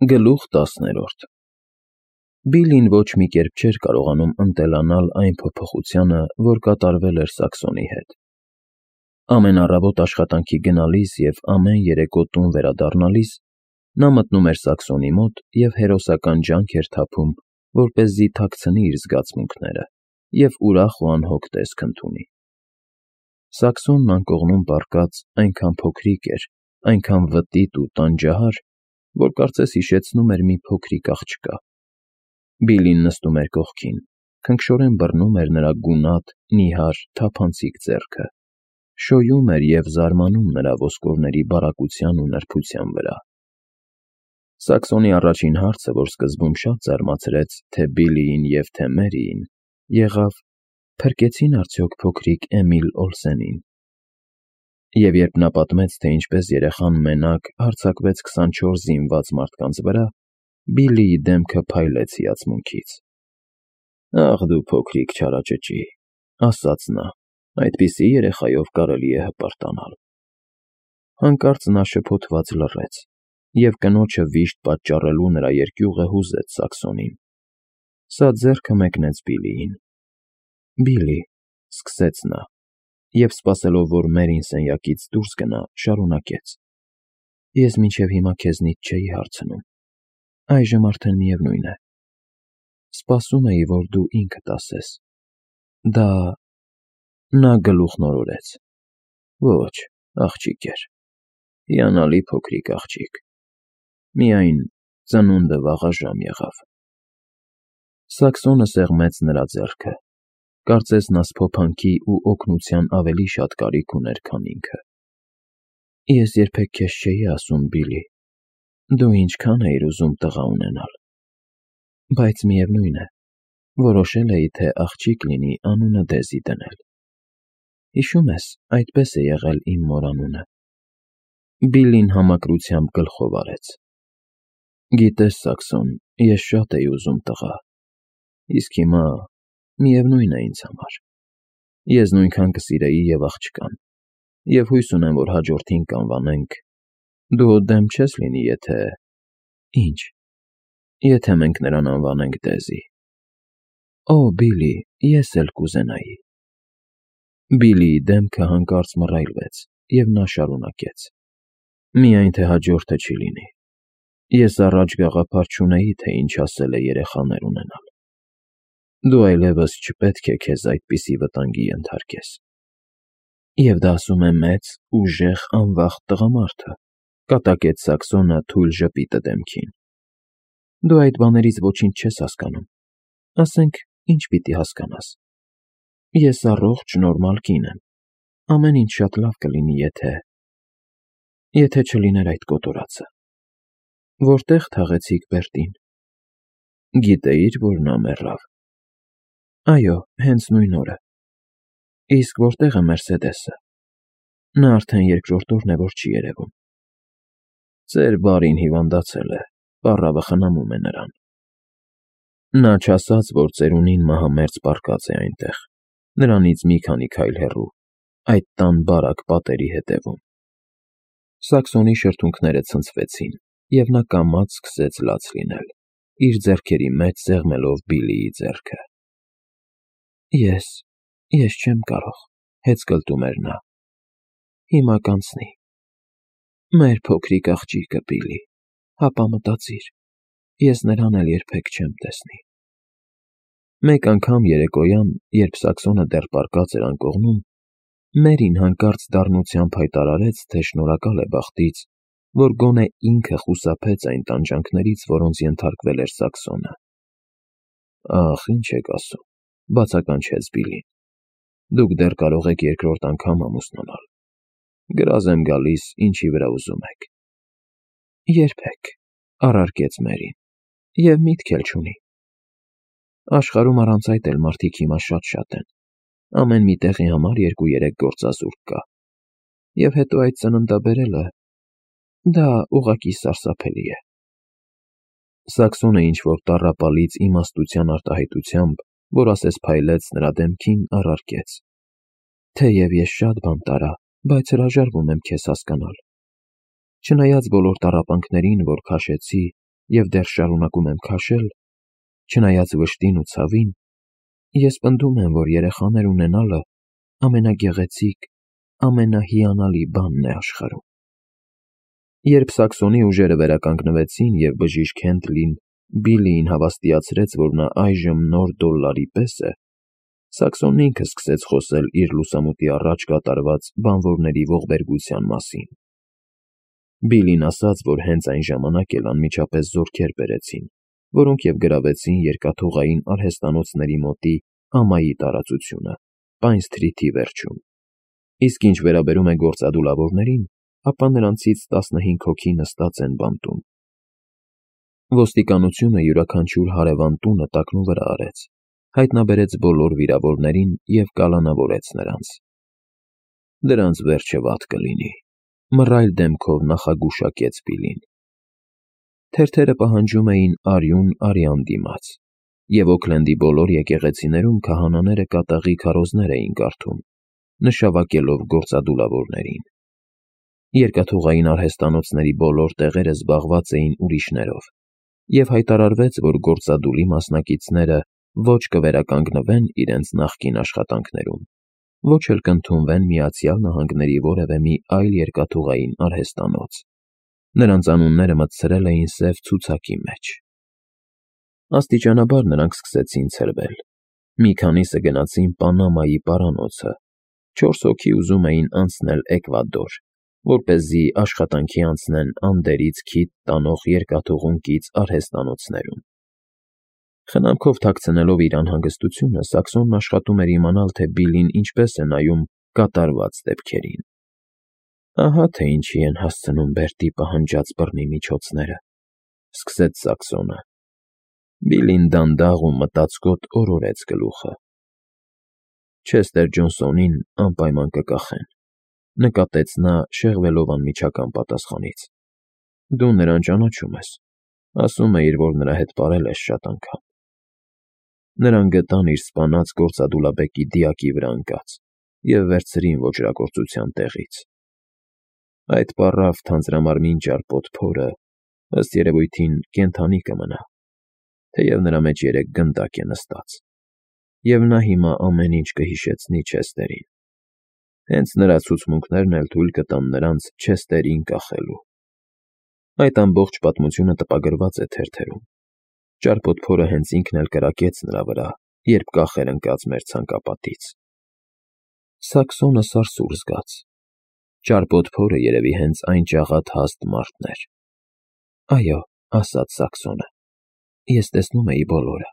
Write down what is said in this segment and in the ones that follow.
Գլուխ 10 Բիլլին ոչ մի կերպ չէր կարողանում ընտելանալ այն փոփոխությանը, որ կատարվել էր Սաքսոնի հետ։ Ամեն առավոտ աշխատանքի գնալիս և ամեն երեկո տուն վերադառնալիս նա մտնում էր Սաքսոնի մոտ և հերոսական ջանք էր թափում, որպեսզի թաքցնի իր զգացմունքները և ուրախ ու անհոգ տեսք ընդունի։ Սաքսոնն անկողնում պառկած այնքան փոքրիկ էր, այնքան վտիտ ու տանջահար, որ կարծես հիշեցնում էր մի փոքրիկ աղջկա։ Բիլլին նստում էր կողքին, քնքշորեն բռնում էր նրա գունատ, նիհար, թափանցիկ ձեռքը, շոյում էր և զարմանում նրա ոսկորների բարակության ու նրբության վրա։ Սաքսոնի առաջին հարցը, որ սկզբում շատ զարմացրեց թե Բիլլիին և թե Մերիին, եղավ. «Փրկեցի՞ն արդյոք փոքրիկ Էմիլ Օլսենին»։ Եվ երբ նա պատմեց, թե ինչպես երեխան մենակ հարձակվեց 24 զինված մարդկանց վրա, Բիլլիի դեմքը փայլեց հիացմունքից։ «Ախ դու փոքրիկ չարաճճի», ասաց նա, «այդպիսի երեխայով կարելի է հպարտանալ»։ Հանկարծ նա շփոթված լռեց, և կնոջը վիշտ պատճառելու նրա երկյուղը հուզեց Սաքսոնին։ Սա ձեռքը մեկնեց Բիլլիին։ «Բիլլի», սկսեց նա, և, սպասելով, որ Մերին սենյակից դուրս գնա, շարունակեց. «Ես մինչև հիմա քեզնից չէի հարցնում, այժմ արդեն միևնույն է։ Սպասում էի, որ դու ինքդ ասես։ Դա…» Նա գլուխն օրորեց. «Ոչ, աղջիկ էր, հիանալի փոքրիկ աղջիկ, միայն ծնունդը վաղաժամ եղավ»։ Սաքսոնը սեղմեց նրա ձեռքը, կարծես նա սփոփանքի ու օգնության ավելի շատ կարիք ուներ, քան ինքը։ «Ես երբեք քեզ չէի ասում, Բիլլի, դու ինչքան էիր ուզում տղա ունենալ, բայց միևնույն է, որոշել էի, թե աղջիկ լինի, անունը Դեզի դնել։ Հիշում ես, այդպես է եղել իմ մոր անունը»։ Բիլլին համակրությամբ գլխով արեց։ «Գիտես, Սաքսոն, ես շատ էի ուզում տղա, իսկ հիմա միևնույն է ինձ համար։ Ես նույնքան կսիրեի և աղջկան, և հույս ունեմ, որ հաջորդին կանվանենք… Դու դեմ չես լինի, եթե… Ինչ… Եթե մենք նրան անվանենք Դեզի»։ «Օ, Բիլլի, ես էլ կուզենայի»։ Բիլլիի դեմքը հանկարծ մռայլվեց, և նա շարունակեց. «Միայն թե հաջորդը չի լինի։ Ես առաջ գաղափար չունեի, թե ինչ ասել է երեխաներ ունենալ։ Դու այլևս չպետք է քեզ այդպիսի վտանգի ենթարկես»։ «Եվ դա ասում է մեծ, ուժեղ, անվախտ տղամարդը», կատակեց Սաքսոնը թույլ ժպիտը դեմքին։ «Դու այդ բաներից ոչինչ չես հասկանում։ Ասենք, ինչ պիտի հասկանաս. ես առողջ, նորմալ կին եմ, ամեն ինչ շատ լավ կլինի, եթե չլիներ այդ կոտորածը։ Որտե՞ղ թաղեցիք Բերտին»։ «Գիտեի՞ր, որ նա մեռավ»։ «Այո, հենց նույն օրը»։ «Իսկ որտե՞ղ է Մերսեդեսը»։ «Նա արդեն երկրորդ օրն է, որ չի երևում»։ «Ձեր բարին հիվանդացել է, պառավը խնամում է նրան»։ Նա չասաց, որ ծերունին մահամերձ պառկած է այնտեղ, նրանից մի քանի քայլ հեռու, այդ տան բարակ պատերի հետևում։ Սաքսոնի շրթունքները ցնցվեցին, և նա կամաց սկսեց լաց լինել, իր ձեռքերի մեջ սեղմելով Բիլլիի ձեռքը։ Ես չեմ կարող, հեծկլտում էր նա։ Հիմա կանցնի։ Մեր փոքրիկ աղջիկը, Բիլլի, հապա մտածիր, ես նրան էլ երբեք չեմ տեսնի։ Մեկ անգամ երեկոյան, երբ Սաքսոնը դեռ պառկած էր անկողնում, Մերին հանկարծ դառնությամբ հայտարարեց, թե շնորհակալ է բախտից, որ գոնե ինքը խուսափեց այն տանջանքներից, որոնց ենթարկվել էր Սաքսոնը։ «Ախ, ինչ եք ասում», բացականչեց Բիլլին, «դուք դեռ կարող եք երկրորդ անգամ ամուսնանալ։ Գրազ եմ գալիս, ինչի վրա ուզում եք»։ «Երբեք», առարկեց Մերին, «և միտք էլ չունի։ Աշխարհում առանց այդ էլ մարդիկ հիմա շատ են, ամեն մի տեղի համար 2-3 գործազուրկ կա։ Եվ հետո այդ ծննդաբերելը… դա ուղղակի սարսափելի է»։ Սաքսոնը ինչ-որ տառապալից իմաստության արտահայտությամբ, որ ասես փայլեց նրա դեմքին, առարկեց. «Թեև ես շատ բան տարա, բայց հրաժարվում եմ քեզ հասկանալ։ Չնայած բոլոր տառապանքներին, որ քաշեցի, և դեռ շարունակում եմ քաշել, չնայած վշտին ու ցավին, ես պնդում եմ, որ երեխաներ ունենալը ամենագեղեցիկ, ամենահիանալի բանն է աշխարհում։ Երբ Սաքսոնի ուժերը վերականգնվեցին և բժիշկ Հենթլին Բիլիին հավաստիացրեց, որ նա այժմ նոր $1 պես է, Սաքսոնն ինքը սկսեց խոսել իր լուսամուտի առաջ կատարված բանվորների ողբերգության մասին։ Բիլին ասաց, որ հենց այն ժամանակ էլ անմիջապես զորքեր բերեցին, որոնք և գրավեցին երկաթուղային արհեստանոցների մոտի ամայի տարածությունը, Պայն Սթրիթի վերջում։ Իսկ ինչ վերաբերում է գործադուլավորներին, ապա նրանցից 15 հոգի նստած են բանտում։ Ոստիկանությունը յուրաքանչյուր հարևան տունը տակնուվրա արեց, հայտնաբերեց բոլոր վիրավորներին և կալանավորեց նրանց։ Դրանց վերջը վատ կլինի, մռայլ դեմքով նախագուշակեց Բիլին։ Թերթերը պահանջում էին արյուն արյան դիմաց, և Օքլենդի բոլոր եկեղեցիներում քահանաները կատաղի քարոզներ էին կարդում, նշավակելով գործադուլավորներին։ Երկաթուղային արհեստանոցների բոլոր տեղերը զբաղված էին ուրիշներով, և հայտարարվեց, որ գործադուլի մասնակիցները ոչ կվերականգնվեն իրենց նախկին աշխատանքներում, ոչ էլ կընդունվեն Միացյալ Նահանգների որևէ մի այլ երկաթուղային արհեստանոց։ Նրանց անունները մտցրել էին սև ցուցակի մեջ։ Աստիճանաբար նրանք սկսեցին ցրվել։ Մի քանիսը գնացին Պանամայի պարանոցը, 4 հոգի ուզում էին անցնել Էկվադոր, որպեսզի աշխատանքի անցնեն Անդերից քիթ տանող երկաթուղուն կից արհեստանոցներում։ Խնամքով թաքցնելով իր անհանգստությունը, Սաքսոնն աշխատում էր իմանալ, թե Բիլին ինչպես է նայում կատարված դեպքերին։ Ահա թե ինչի են հասցնում Բերտի պահանջած բռնի միջոցները, սկսեց Սաքսոնը։ Բիլին դանդաղ ու մտածկոտ օրորեց գլուխը։ Չեսթեր Ջոնսոնին անպայման կկախեն, նկատեց նա, շեղվելով անմիջական պատասխանից։ Դու նրան ճանաչում ես, ասում էիր, որ նրա հետ պարել ես շատ անգամ։ Նրան գտան իր սպանած գործադուլաբեկի դիակի վրա ընկած և վերցրին ոճրագործության տեղից։ Այդ պառավ թանձրամարմին ճարպոտ փորը, ըստ երևույթին, կենդանի կմնա, թեև նրա մեջ 3 գնդակ է նստած, և նա հիմա ամեն ինչ կհիշեցնի Չեսթերին։ Հենց նրա ցուցմունքներն էլ թույլ կտան նրանց Չեսթերին կախելու։ Այդ ամբողջ պատմությունը տպագրված է թերթերում։ Ճարպոտ փորը հենց ինքն էլ կրակեց նրա վրա, երբ կախ էր ընկած մեր ցանկապատից։ Սաքսոնը սարսուռ զգաց։ Ճարպոտ փորը երևի հենց այն ջաղատ հաստ մարդն էր։ Այո, ասաց Սաքսոնը, ես տեսնում էի բոլորը։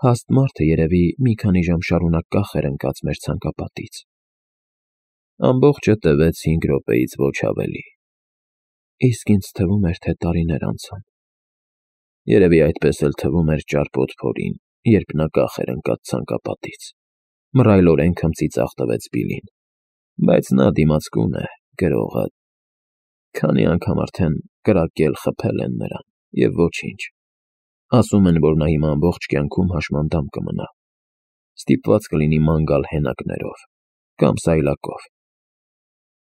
Հաստ մարդը երևի մի քանի ժամ շարունակ կախ էր ընկած մեր ցանկապատից։ Ամբողջը տևեց 5 րոպեից ոչ ավելի։ Իսկ ինձ թվում էր, թե տարիներ անցան։ Երևի այդպես էլ թվում էր ճարպոտ փորին, երբ նա կախ էր ընկած ցանկապատից։ Մռայլորեն քմծիծաղ տվեց Բիլին։ Բայց նա դիմացկուն է, գրողը։ Քանի անգամ արդեն կրակել, խփել են նրան, և ոչինչ։ Ասում են, որ նա հիմա ամբողջ կյանքում հաշմանդամ կմնա։ Ստիպված կլինի ման գալ հենակներով կամ սայլակով։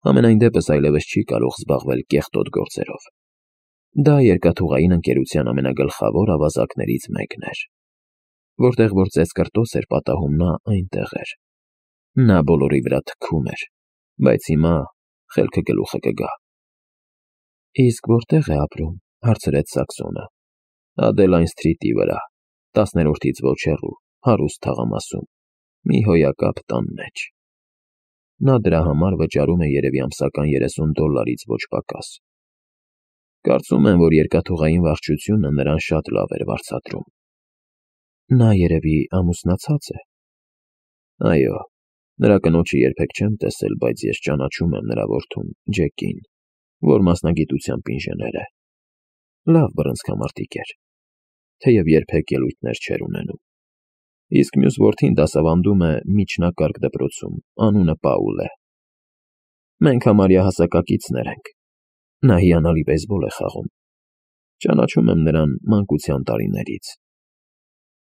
Համենայն դեպս այլևս չի կարող զբաղվել կեղտոտ գործերով։ Դա երկաթուղային ընկերության ամենագլխավոր ավազակներից մեկն էր։ Որտեղ որ ծեծկռտոս էր պատահում, նա այնտեղ էր։ Նա բոլորի վրա թքում էր, բայց հիմա խելքը գլուխը կգա։ Իսկ որտե՞ղ է ապրում, հարցրեց Սաքսոնը։ Ադելայն Սթրիթի վրա, 10-րդից ոչ հեռու, հարուստ թաղամասում, մի հոյակապ տան մեջ։ Նա դրա համար վճարում է երևի ամսական $30-ից ոչ պակաս։ Կարծում եմ, որ երկաթուղային վարչությունը նրան շատ լավ էր վարձատրում։ Նա երևի ամուսնացած է։ Այո, նրա կնոջը երբեք չեմ տեսել, բայց ես ճանաչում եմ նրա որդուն, Ջեկին, որ մասնագիտությամբ ինժեներ է։ Լավ բռնցքամարտիկ էր, թեև երբեք ելույթներ չէր ունենում։ Իսկ մյուս որդին դասավանդում է միջնակարգ դպրոցում, անունը Պաուլ է։ Մենք համարյա հասակակիցներ ենք։ Նա հիանալի բեյսբոլ է խաղում։ Ճանաչում եմ նրան մանկության տարիներից։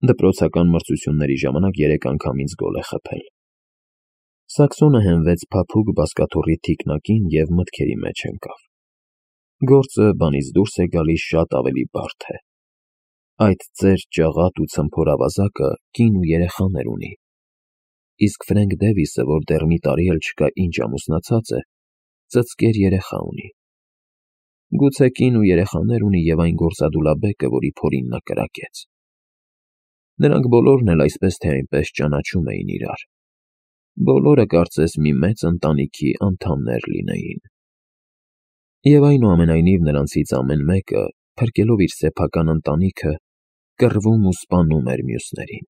Դպրոցական մրցությունների ժամանակ 3 անգամ ինձ գոլ է խփել։ Սաքսոնը հենվեց փափուկ բազկաթոռի թիկնակին և մտքերի մեջ ընկավ։ Գործը բանից դուրս է գալիս շատ ավելի բարդ է։ Այդ ծեր, ճաղատ ու ցմփոր ավազակը կին ու երեխաներ ունի։ Իսկ Ֆրենկ Դևիսը, որ դեռ մի տարի էլ չկա ինչ ամուսնացած է, ծծկեր երեխա ունի։ Գուցե կին ու երեխաներ ունի և այն գործադուլաբեկը, որի փորին նա կրակեց։ Նրանք բոլորն էլ այսպես թե այնպես ճանաչում էին իրար։ Բոլորը կարծես մի մեծ ընտանիքի անդամներ լինեին։ Եվ այնուամենայնիվ նրանցից ամեն մեկը, փրկելով իր սեփական ընտանիքը, կռվում ու սպանում էր մյուսներին։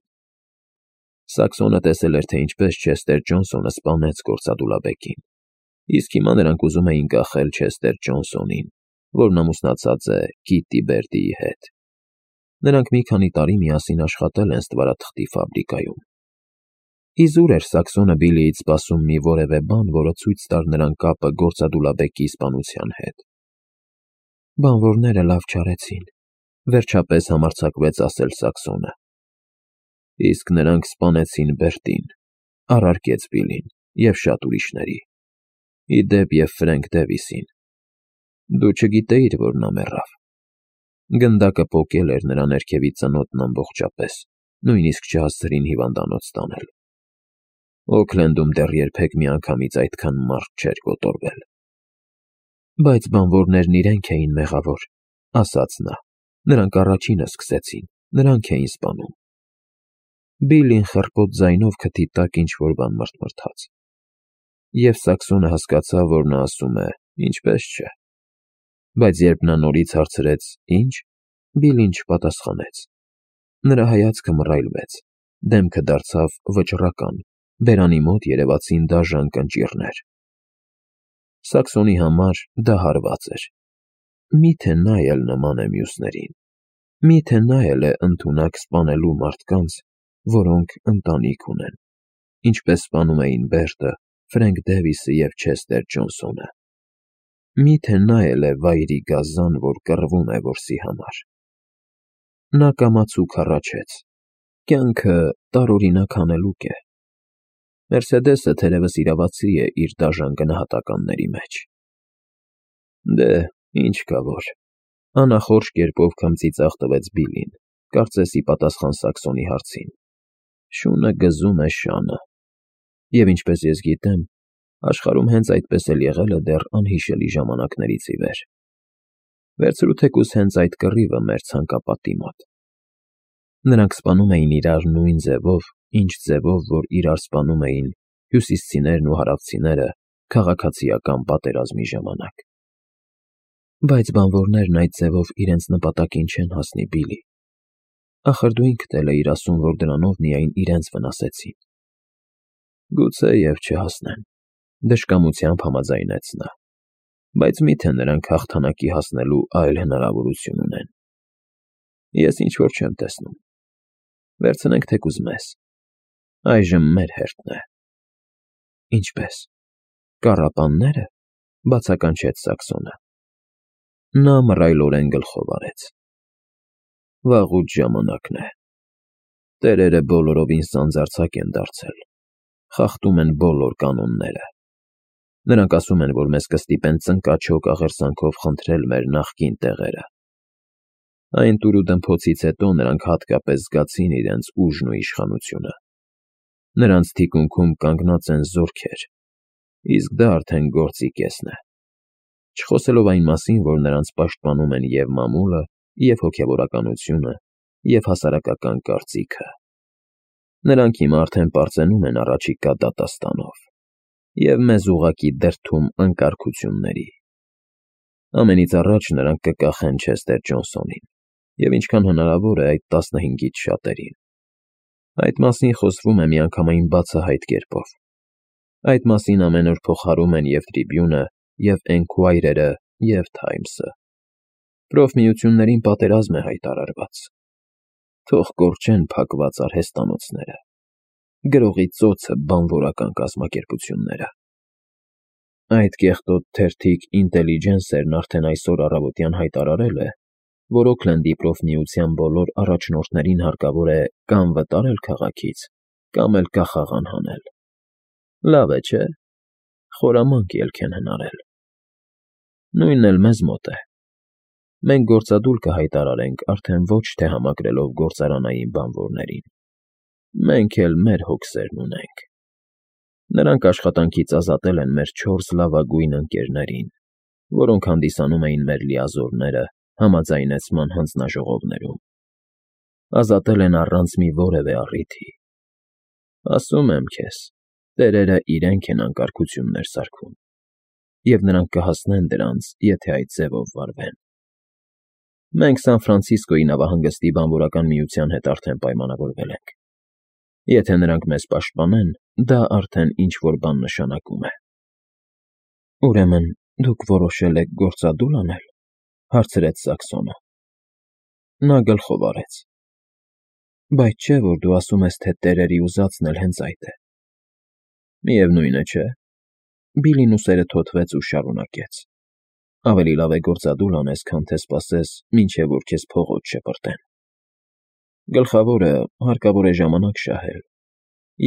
Սաքսոնը տեսել էր, թե ինչպես Չեսթեր Ջոնսոնը սպանեց գործադուլաբեկին, իսկ հիմա նրանք ուզում էին կախել Չեսթեր Ջոնսոնին, որն ամուսնացած է Քիթի Բերդիի հետ։ Նրանք մի քանի տարի միասին աշխատել են ստվարաթղթի ֆաբրիկայում։ Իզուր էր Սաքսոնը Բիլիից սպասում մի որևէ բան, որը ցույց տար նրան կապը գործադուլաբեկի սպանության հետ։ Բանվորները լավ չարեցին, վերջապես համարձակվեց ասել Սաքսոնը։ Իսկ նրանք սպանեցին Բերտին, առարկեց Բիլին և շատ ուրիշների, ի դեպ և Ֆրենկ Դևիսին։ Դու չգիտեիր, որ նա մեռավ։ Գնդակը պոկել էր նրա ներքևի ծնոտն ամբողջապես, նույնիսկ չհասցրին հիվանդանոց տանել։ Օքլենդում դեռ երբեք միանգամից այդքան մարդ չէր կոտորվել։ Բայց բանվորներն իրենք էին մեղավոր, ասաց նա։ Նրանք առաջինը սկսեցին, նրանք էին սպանում։ Բիլին խռպոտ ձայնով քթի տակ ինչ-որ բան մռթմռթաց։ Եվ Սաքսոնը հասկացավ, որ նա ասում է. ինչպես չէ։ Բայց երբ նա նորից հարցրեց. ինչ, Բիլին չպատասխանեց։ Նրա հայացքը մռայլվեց, դեմքը դարձավ վճռական, բերանի մոտ երևացին դաժան կնճիռներ։ Սաքսոնի համար դա հարված էր։ Միթե նա էլ նման է մյուսներին։ Միթե նա էլ է ընդունակ սպանելու մարդկանց, որոնք ընտանիք ունեն, ինչպես սպանում էին Բերտը, Ֆրենկ Դևիսը և Չեսթեր Ջոնսոնը։ Միթե նա էլ է վայրի գազան, որ կռվում է որսի համար։ Նա կամացուկ հառաչեց. կյանքը տարօրինակ հանելուկ է։ Մերսեդեսը թերևս իրավացի է իր դաժան գնահատականների մեջ։ Դե, ինչ կա որ։ Անախորժ կերպով քմծիծաղ տվեց Բիլին, կարծես ի պատասխան Սաքսոնի հարցին։ Շունը գզում է շանը։ Եվ ինչպես ես գիտեմ, աշխարհում հենց այդպես էլ եղել է դեռ անհիշելի ժամանակներից ի վեր։ Վերցրու թեկուզ հենց այդ կռիվը մեր ցանկապատի մոտ։ Նրանք սպանում էին իրար նույն ձևով, ինչ ձևով, որ իրար սպանում էին հյուսիսցիներն ու հարավցիները քաղաքացիական պատերազմի ժամանակ։ Բայց բանվորներն այդ ձևով իրենց նպատակին չեն հասնի, Բիլի։ Ախր դու ինքդ էլ էիր ասում, որ դրանով միայն իրենց վնասեցին։ Գուցե և չհասնեն, դժկամությամբ համաձայնեց նա։ Բայց միթե նրանք հաղթանակի հասնելու այլ հնարավորություն ունեն։ Ես ինչ-որ չեմ տեսնում։ Վերցնենք թեկուզ մեզ։ Այժմ մեր հերթն է։ Ինչպես։ Կառապաննե՞րը, բացականչեց Սաքսոնը։ Նա մռայլորեն գլխով արեց։ Վաղուց ժամանակն է։ Տերերը բոլորովին սանձարձակ են դարձել, խախտում են բոլոր կանոնները։ Նրանք ասում են, որ մեզ կստիպեն ծնկաչոք աղերսանքով խնդրել մեր նախկին տեղերը։ Այն տուրուդմփոցից հետո նրանք հատկապես զգացին իրենց ուժն ու իշխանությունը։ Նրանց թիկունքում կանգնած են զորքեր, իսկ դա արդեն գործի կեսն է։ Չխոսելով այն մասին, որ նրանց պաշտպանում են և մամուլը, և հոգևորականությունը, և հասարակական կարծիքը։ Նրանք հիմա արդեն պարծենում են առաջիկա դատաստանով և մեզ ուղղակի դրդում անկարգությունների։ Ամենից առաջ նրանք կկախեն Չեսթեր Ջոնսոնին և ինչքան հնարավոր է այդ 15-ից շատերին։ Այդ մասին խոսվում է միանգամայն բացահայտ կերպով։ Այդ մասին ամեն օր փոխհարում են և Tribune-ը, և Enquirer-ը, և Times-ը։ Պրոֆմիություններին պատերազմ է հայտարարված։ Թող կորչեն փակված արհեստանոցները, գրողի ծոցը բանվորական կազմակերպությունները։ Այդ կեղտոտ թերթիկ Ինտելիջենսերն արդեն այսօր առավոտյան հայտարարել է, որ Օքլենդի պրոֆմիության բոլոր առաջնորդներին հարկավոր է կամ վտարել քաղաքից, կամ էլ կախաղան հանել։ Լավ է, չէ՞։ Խորամանկ ելք են հնարել։ Նույնն էլ մեզ մոտ է։ Մենք գործադուլ կհայտարարենք արդեն ոչ թե համակրելով գործարանային բանվորներին, մենք էլ մեր հոգսերն ունենք։ Նրանք աշխատանքից ազատել են մեր 4 լավագույն ընկերներին, որոնք հանդիսանում էին մեր լիազորները համաձայնեցման հանձնաժողովներում։ Ազատել են առանց մի որևէ առիթի։ Ասում եմ քեզ, տերերը իրենք են անկարգություններ սարքում, և նրանք կհասնեն դրանց, եթե այդ ձևով վարվեն։ Մենք Սան Ֆրանցիսկոյի նավահանգստի բանվորական միության հետ արդեն պայմանավորվել ենք։ Եթե նրանք մեզ պաշտպանեն, դա արդեն ինչ-որ բան նշանակում է։ Ուրեմն դուք որոշել եք գործադուլ անել, հարցրեց Սաքսոնը։ Նա գլխով արեց։ Բայց չէ, որ դու ասում ես, թե տերերի ուզածն էլ հենց այդ է։ Միևնույն է, չէ։ Բիլին ուսերը թոթվեց ու շարունակեց։ Ավելի լավ է գործադուլ անես, քան թե սպասես, մինչև որ քեզ փողոց շպրտեն։ Գլխավորը հարկավոր է ժամանակ շահել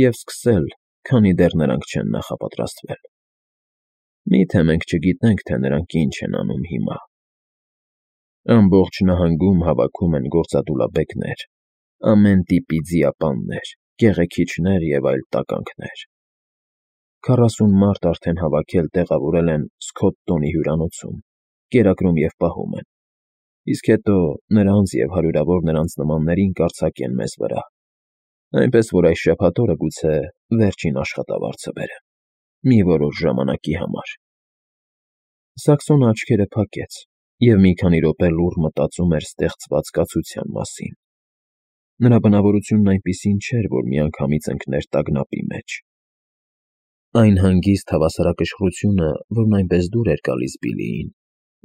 և սկսել, քանի դեռ նրանք չեն նախապատրաստվել։ Միթե մենք չգիտենք, թե նրանք ինչ են անում հիմա։ Ամբողջ նահանգում հավաքում են գործադուլաբեկներ, ամեն տիպի ձիապաններ, կեղեքիչներ և այլ տականքներ։ 40 մարդ արդեն հավաքել տեղավորել են Սքոթտոնի հյուրանոցում, կերակրում և պահում են, իսկ հետո նրանց և հարյուրավոր նրանց նմաններին կարձակեն մեզ վրա, այնպես որ այս շաբաթ օրը գուցե վերջին աշխատավարձը բերեմ, մի որոշ ժամանակի համար։ Սաքսոնը աչքերը փակեց և մի քանի րոպե լուռ մտածում էր ստեղծված կացության մասին։ Նրա բնավորությունն այնպիսին չէր, որ միանգամից ընկներ տագնապի մեջ։ Այն հանգիստ հավասարակշռությունը, որն այնպես դուր էր գալիս Բիլիին,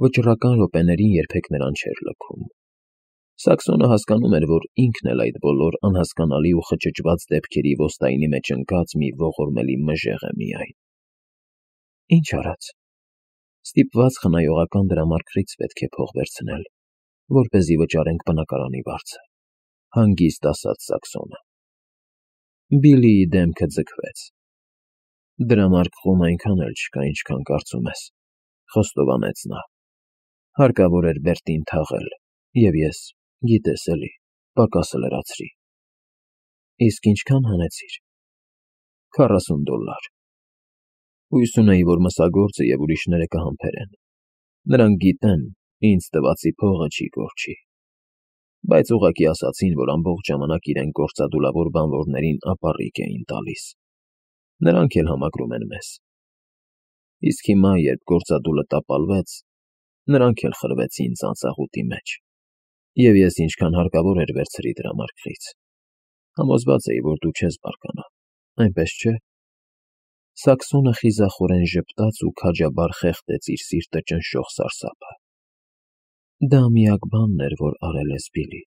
վճռական րոպեներին երբեք նրան չէր լքում։ Սաքսոնը հասկանում էր, որ ինքն էլ այդ բոլոր անհասկանալի ու խճճված դեպքերի ոստայնի մեջ ընկած մի ողորմելի մժեղ է միայն։ Ինչ արած։ Ստիպված խնայողական դրամարկղից պետք է փող վերցնել, որպեսզի վճարենք բնակարանի վարձը, հանգիստ ասաց Սաքսոնը։ Բիլիի դեմքը ձգվեց։ Դրամարկղում այնքան էլ չկա, ինչքան կարծում ես, խոստովանեց նա։ Հարկավոր էր Բերտին թաղել, և ես, գիտես էլի, պակասը լրացրի։ Իսկ ինչքան հանեցիր։ $40։ Հույս ունեի, որ մսագործը և ուրիշները կհամբերեն։ Նրանք գիտեն, ինձ տվածի փողը չի կորչի։ Բայց ուղղակի ասացին, որ ամբողջ ժամանակ իրենք գործադուլավոր բանվորներին ապառիկ էին տալիս։ Նրանք էլ համակրում են մեզ։ Իսկ հիմա, երբ գործադուլը տապալվեց, նրանք էլ խրվեցին ծանծաղուտի մեջ, և ես ինչքան հարկավոր էր վերցրի դրամարկղից։ Համոզված էի, որ դու չես բարկանա, այնպես չէ։ Սաքսոնը խիզախորեն ժպտաց ու քաջաբար խեղդեց իր սիրտը ճնշող սարսափը։ Դա միակ բանն էր, որ արել ես, Բիլի։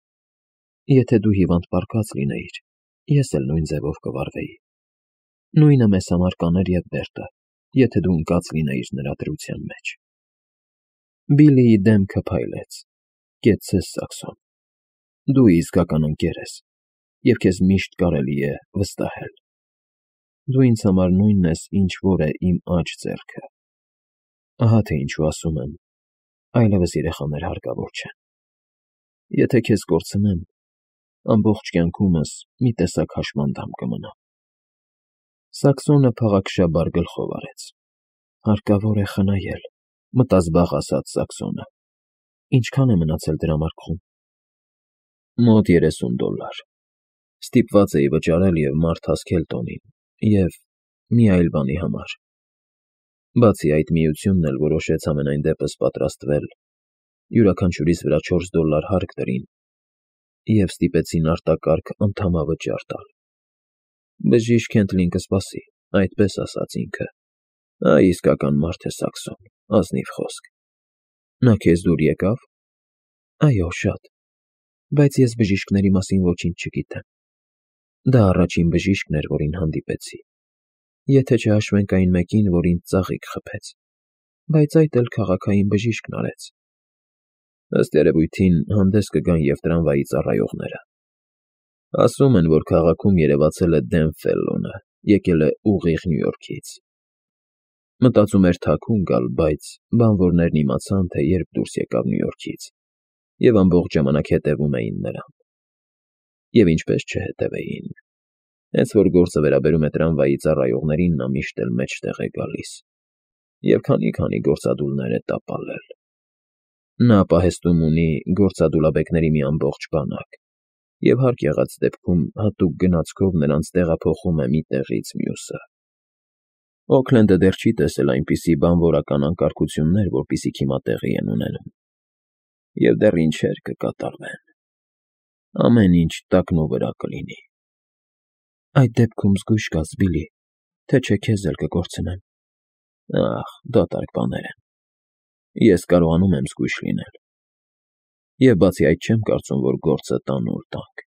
Եթե դու հիվանդ պառկած լինեիր, ես էլ նույն ձևով կվարվեի։ Նույնը մեզ համար կաներ և Բերտը, եթե դու ընկած լինեիր նրա դրության մեջ։ Բիլիի դեմքը փայլեց։ Կեցցես, Սաքսոն։ Դու իսկական ընկեր ես, և քեզ միշտ կարելի է վստահել։ Դու ինձ համար նույնն ես, ինչ որ է իմ աջ ձեռքը։ Ահա թե ինչու ասում եմ, այլևս երեխաներ հարկավոր չեն։ Եթե քեզ կորցնեմ, ամբողջ կյանքումս մի տեսակ հաշմանդամ կմնա։ Սաքսոնը փաղաքշաբար գլխով արեց։ Հարկավոր է խնայել, մտազբաղ ասաց Սաքսոնը։ Ինչքան է մնացել դրամարկղում։ Մոտ $30։ Ստիպված էի վճարել և մարդ հասքել տոնին, և մի այլ բանի համար։ Բացի այդ, միությունն էլ որոշեց համենայն դեպս պատրաստվել, յուրաքանչյուրիս վրա $4 հարկ դրին և ստիպեցին արտակարգ անդամավճար տալ։ Բժիշկ Քենթլին կսպասի, այդպես ասաց ինքը։ Այ իսկական մարդ է Սաքսոն, ազնիվ խոսք։ Նա քեզ դուր եկավ։ Այո, շատ, բայց ես բժիշկների մասին ոչինչ չգիտեմ։ Դա առաջին բժիշկն էր, որին հանդիպեցի, եթե չհաշվենք այն մեկին, որ ինձ ծաղիկ խփեց, բայց այդ էլ քաղաքային բժիշկն արեց։ Ըստ երևույթին հանդես կգան և տրամվայի ծառայողները։ Ասում են, որ քաղաքում երևացել է Դեն Ֆելլոնը, եկել է ուղիղ Նյու Յորքից։ Մտածում էր թաքուն գալ, բայց բանվորներն իմացան, թե երբ դուրս եկավ Նյու Յորքից, և ամբողջ ժամանակ հետևում էին նրան։ Եվ ինչպես չհետևեին։ Հենց որ գործը վերաբերում է տրամվայի ծառայողներին, նա միշտ էլ մեջտեղ է գալիս և քանի գործադուլներ է տապալել։ Նա պահեստում ունի գործադուլաբեկների մի ամբողջ բանակ և հարկ եղած դեպքում հատուկ գնացքով նրանց տեղափոխում է մի տեղից մյուսը։ Օքլենդը դեռ չի տեսել այնպիսի բանվորական անկարգություններ, որպիսիք հիմա տեղի են ունենում, և դեռ ինչեր կկատարվեն։ Ամեն ինչ տակնուվրա կլինի։ Այդ դեպքում զգույշ կաց, Բիլի, թե չէ քեզ էլ կկորցնեն։ Ախ, դատարկ բաներ են։ Ես կարողանում եմ զգույշ լինել։ Եվ բացի այդ չեմ կարծում, որ գործը տանուլ տանք։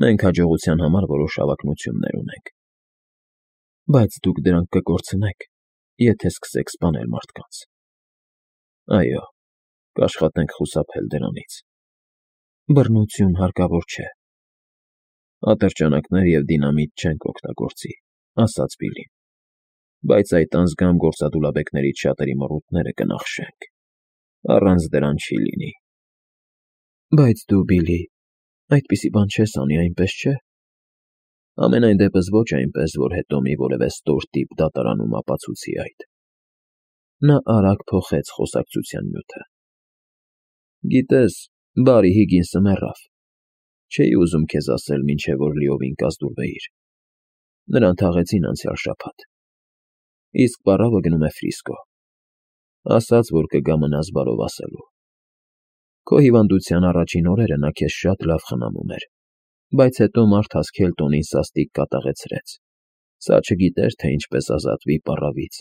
Մենք հաջողության համար որոշ հավակնություններ ունենք։ Բայց դուք դրանք կկորցնեք, եթե սկսեք սպանել մարդկանց։ Այո, կաշխատենք խուսափել դրանից։ Բռնություն հարկավոր չէ։ Ատրճանակներ և դինամիտ չենք օգտագործի, ասաց Բիլին, բայց այդ անձգամ գործադուլաբեկներից շատերի մռութները կնախշենք։ Առանց դրան չի լինի։ Բայց դու, Բիլի, այդպիսի բան չես անի, այնպես չէ։ Համենայն դեպս ոչ այնպես, որ հետո մի որևէ ստոր տիպ դատարանում ապացուցի այդ։ Նա արագ փոխեց խոսակցության նյութը։ Գիտես, Բարի Հիգինսը մեռավ։ Չէի ուզում քեզ ասել, մինչև որ լիովին կազդուրվեիր։ Նրան թաղեցին անցյալ շաբաթ։ Իսկ պառավը գնում է Ֆրիսկո։ Ասաց, որ կգա մնաս բարով ասելու։ Քո հիվանդության առաջին օրերը նա քեզ շատ լավ խնամում էր, բայց հետո մարդաս Քելտոնին սաստիկ կատաղեցրեց։ Սա չգիտեր, թե ինչպես ազատվի պառավից,